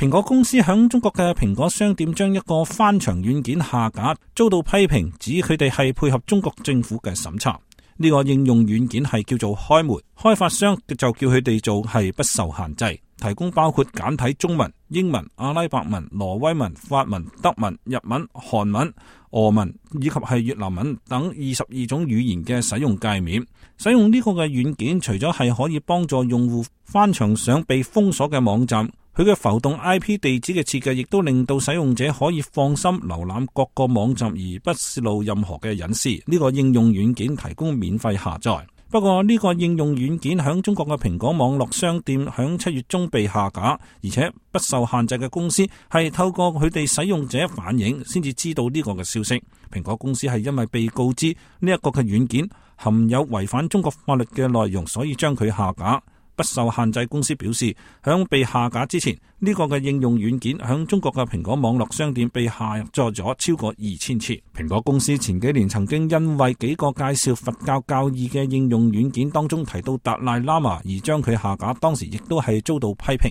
蘋果公司響中國嘅蘋果商店將一個翻牆軟件下架，遭到批評，指佢哋係配合中國政府嘅審查。呢個應用軟件係叫做開門，開發商就叫佢哋做係不受限制，提供包括簡體中文、英文、阿拉伯文、挪威文、法文、德文、日文、韓文、俄文以及係越南文等22種語言嘅使用界面。使用呢個嘅軟件，除咗係可以幫助用戶翻牆上被封鎖嘅網站，佢嘅浮動 IP 地址嘅設計亦都令到使用者可以放心瀏覽各個網站而不泄露任何嘅隱私。呢個應用軟件提供免費下載。不過呢個應用軟件響中國嘅蘋果網絡商店響7月中被下架，而且不受限制嘅公司係透過佢哋使用者反映先至知道呢個嘅消息。蘋果公司係因為被告知呢一個嘅軟件含有違反中國法律嘅內容，所以將佢下架。不受限制公司表示，響被下架之前，呢個嘅應用軟件響中國嘅蘋果網絡商店被下載咗超過2000次。蘋果公司前幾年曾經因為幾個介紹佛教教義嘅應用軟件當中提到達賴喇嘛而將佢下架，當時亦都係遭到批評。